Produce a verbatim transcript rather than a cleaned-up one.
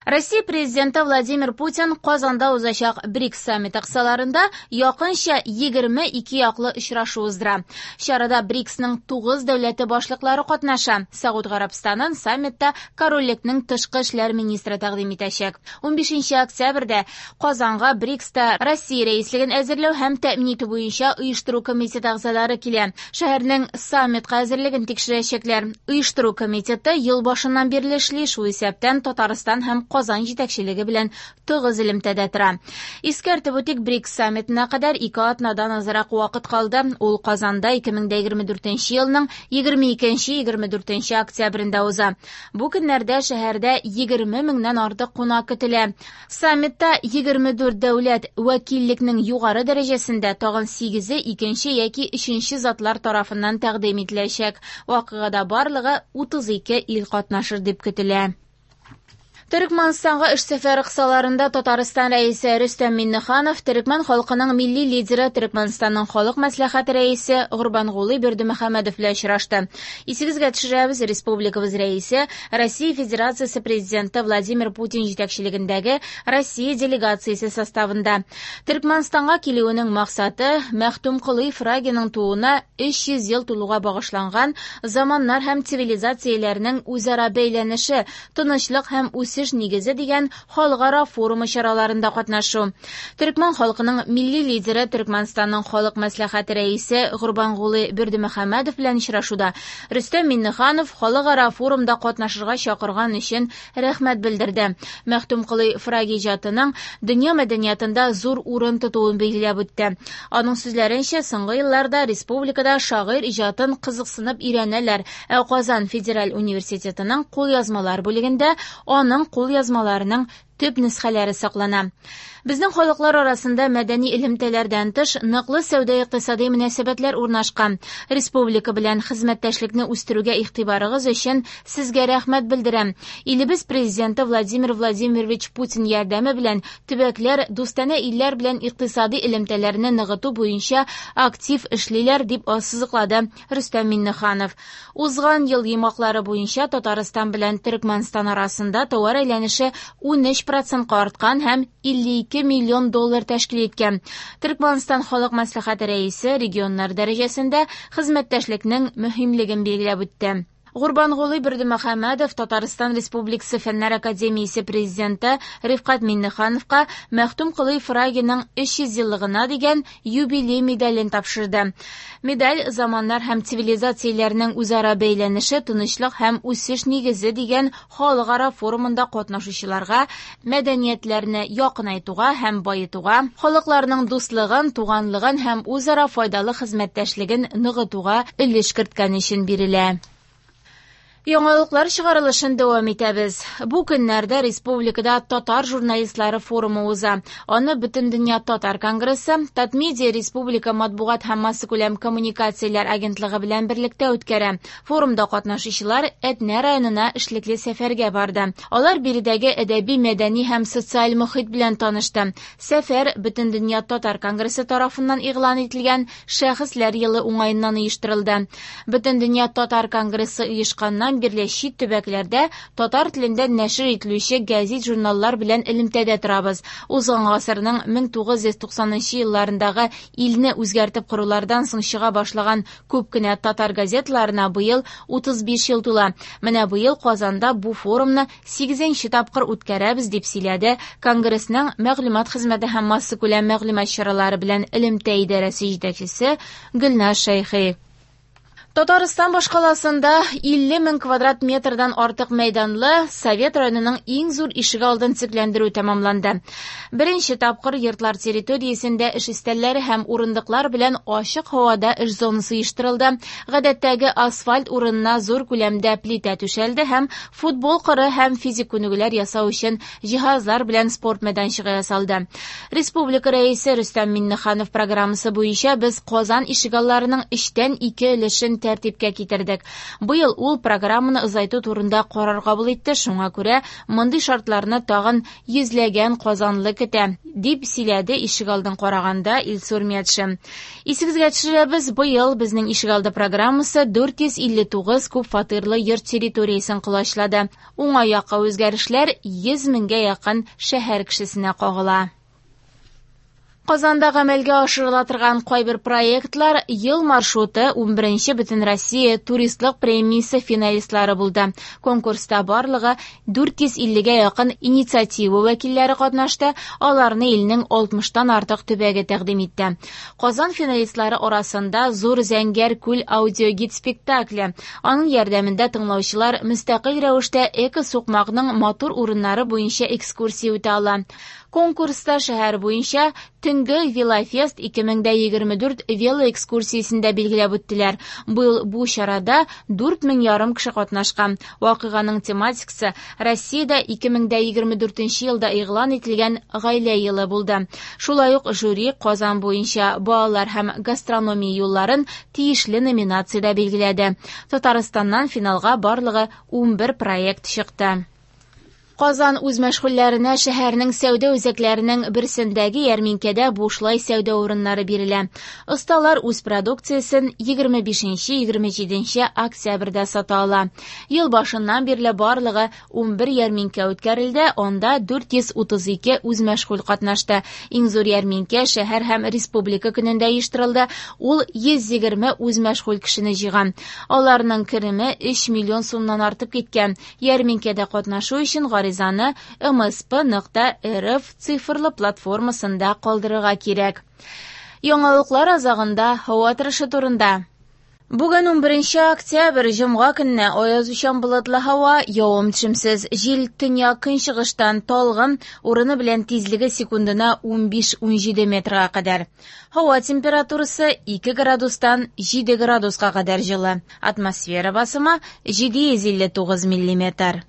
Россия президенты Владимир Путин Казанда узачак БРИКС саммиты кысаларында якынча егерме ике яклы очрашу уздыра. Чарада БРИКСның тугыз дәүләте башлыклары катнаша. Сауд Гарәбстанын саммитта корольлекнең тышкы эшләр министры тәкъдим итәчәк. Унбишенче октябрьдә Казанга БРИКСта Россия рәислеген әзерләү һәм тәэмин итү буенча оештыру комитеты әгъзалары килә. Шәһәрнең саммитка әзерлеген тикшерәчәкләр. Оештыру комитеты ел башыннан бирле эшли, шул исәптән Татарстан һәм Казан җитәкчелеге белән тыгыз элемтәдә тора. Искәртеп үтик, БРИКС саммитына кадәр ике атнадан азрак вакыт калды. Ул Казанда ике мең дә егерме дүртенче елның егерме икенче, егерме дүртенче октябрендә уза. Бу көннәрдә шәһәрдә егерме меңнән артык кунак көтелә. Саммитта егерме дүрт дәүләт вәкиллекнең югары дәрәҗәсендә тагын сигезе икенче яки өченче затлар тарафыннан тәкъдим ителәчәк. Вакыйгада барлыгы утыз ике ил катнашыр дип көтелә. Төркмәнстанга эш сәфәре кысаларында Татарстан рәисе Рөстәм Миңнеханов төркмән халкының милли лидеры Төркмәнстанның халык мәслихәте рәисе Гурбангулы Бердымөхәммәдов белән очрашты. Исегезгә төшерәбез, республикабыз рәисе Россия Федерациясе президенты Владимир Путин җитәкчелегендәге Россия делегациясе составында. Төркмәнстанга килүенең максаты Мәхтүмколый Фрагиның тууына өч йөз ел тулуга багышланган заманнар һәм цивилизацияләрнең үзара бәйләнеше, тынычлык һәм үсеш нигезе дигән халыкара форумы чараларында катнашу. Төркмән халкының милли лидеры Төркмәнстанның халык мәслихәте рәисе Гурбангулы Бердымөхәммәдов белән очрашуда Рөстәм Миңнеханов халыкара форумда катнашырга чакырган өчен рәхмәт белдерде. Мәхтүмколый Фраги иҗатының дөнья мәдәниятында зур урын тотуын билгеләп үтте. Аның сүзләренчә, соңгы елларда республикада шагыйрь иҗатын кызыксынып өйрәнәләр. Ә Казан федераль университетының кулъязмалар бүлегендә аның кулъязмаларының төп нөсхәләре саклана. Безнең халыклар арасында мәдәни элемтәләрдән тыш ныклы сәүдә-икътисади мөнәсәбәтләр урнашкан. Республика белән хезмәттәшлекне үстерүгә игътибарыгыз өчен сезгә рәхмәт белдерәм. Илебез президенты Владимир Владимирович Путин ярдәме белән төбәкләр дустанә илләр белән икътисади элемтәләрне ныгыту буенча актив эшлиләр, дип ассызыклады Рөстәм Миңнеханов. Узган ел йомгаклары буенча Татарстан белән Төркмәнстан арасында товар әйләнеше унөч процентка арткан һәм илле ике миллион доллар тәшкил иткән. Төркмәнстан халык мәслихәте рәисе регионнар дәрәҗәсендә хезмәттәшлекнең мөһимлеген билгеләп үтте. Гурбангулы Бердымөхәммәдов Татарстан Республикасы Фәннәр Академиясе президенты Рифкать Миңнехановка Мәхтүмколый Фрагиның өч йөз еллыгына дигән юбилей медален тапшырды. Медаль заманнар һәм цивилизацияләрнең үзара бәйләнеше, тынычлык һәм үсеш нигезе дигән халыкара форумында катнашучыларга мәдәниятләрне якынайтуга һәм баетуга, халыкларның дуслыгын, туганлыгын һәм үзара файдалы хезмәттәшлеген ныгытуга өлеш керткән өчен бирелә. Яңалыклар чыгарылышын дәвам итәбез. Бу көннәрдә республикада татар журналистлары форумы уза. Аны Бөтендөнья татар конгрессы, Татмедиа республика матбугат һәм массакүләм коммуникацияләр агентлыгы белән берлектә үткәрә. Форумда катнашучылар Әтнә районына эшлекле сәфәргә барды. Алар биредәге әдәби, мәдәни һәм социаль мохит белән танышты. Сәфәр Бөтендөнья татар конгрессы тарафыннан игълан ителгән Шәхесләр елы уңаеннан оештырылды. Бөтендөнья татар конгрессы оешканнан бирле чит төбәкләрдә татар телендә нәшер ителүче гәзит-журналлар белән элемтәдә торабыз. Узган гасырның мең тугыз йөз туксанынчы елларындагы илне үзгәртеп корулардан соң чыга башлаган күп кенә татар газеталарына быел утыз биш ел тула. Менә быел Казанда бу форумны сигезенче тапкыр үткәрәбез, дип сөйләде Конгрессның мәгълүмат хезмәте һәм массакүләм мәгълүмат чаралары белән элемтә идарәсе җитәкчесе Гөлназ Шәйхи. Татарстан башкаласында илле мең квадрат метрдан артык мәйданлы Совет районының иң зур ишегалдын төзекләндерү тәмамланды. Беренче тапкыр йортлар территориясендә эш өстәлләре һәм урындыклар белән ачык һавада эш зонасы оештырылды. Гадәттәге асфальт урынына зур күләмдә плитә түшәлде һәм футбол кыры һәм физик күнегүләр ясау өчен җиһазлар белән спорт мәйданчыгы ясалды. Республика рәисе Рөстәм Миңнеханов программасы буенча без Казан ишегалларының өчтән ике өлешен тәртипкә китердек. Быел ул программаны озайту турында карар кабул итте, шуңа күрә мондый шартларны тагын йөзләгән казанлы көтә, дип сөйләде ишегалдын караганда Илсур Метшин. Исегезгә төшерәбез, быел безнең ишегалды программасы дүрт йөз илле тугыз күп фатирлы йорт территориясен колачлады. Уңай якка үзгәрешләр йөз меңгә якын шәһәр кешесенә кагыла. Казанда гамәлгә ашырыла торган кайбер проектлар ел маршруты унберенче Бөтенроссия туристлык премиясе финалистлары булды. Конкурста барлыгы дүрт йөз иллегә якын инициатива вәкилләре катнашты, аларны илнең алтмыштан артык төбәге тәкъдим итте. Казан финалистлары арасында Зур Зәңгәр күл аудиогид спектакле. Аның ярдәмендә тыңлаучылар мөстәкыйль рәвештә эко-сукмакның матур урыннары буенча экскурсия үтә ала. Конкурста шәһәр буенча төнге велофест ике мең дә егерме дүрт велоэкскурсиясендә билгеләп үттеләр. Быел бу чарада дүрт мең ярым кеше катнашкан. Вакыйганың тематикасы Россиядә ике мең дә егерме дүртенче елда игълан ителгән гаилә елы булды. Шулай ук жюри Казан буенча балалар һәм гастрономия юлларын тиешле номинациядә билгеләде. Татарстаннан финалга барлыгы унбер проект чыкты. Казан үз мәшгульләренә шәһәрнең сәүдә үзәкләренең берсендәге ярминкәдә бушлай сәүдә урыннары бирелә. Осталар үз продукциясен егерме бишенче, егерме җиденче октябрьдә сата ала. Ел башыннан бирле барлыгы унбер ярминкә үткәрелде, анда дүрт йөз утыз ике үз мәшгуль катнашты. Иң зур ярминкә шәһәр һәм республика көнендә оештырылды. Ул йөз егерме үз мәшгуль кешене җыйган. Аларның кереме өч миллион сумнан артып киткән. Ярминкәдә катнашу өчен гаризаны эм эс пэ нокта эр эф цифрлы платформасында калдырырга кирәк. Яңалыклар азагында һава торышы турында. Бүген унберенче октябрь, җомга көнне аязучан болытлы һава, явым-төшемсез, җил төньяк көнчыгыштан талгын, урыны белән тизлеге секундына унбиш-унҗиде метрга кадәр. Һава температурасы ике градустан җиде градуска кадәр җылы. Атмосфера басымы җиде йөз илле тугыз миллиметр.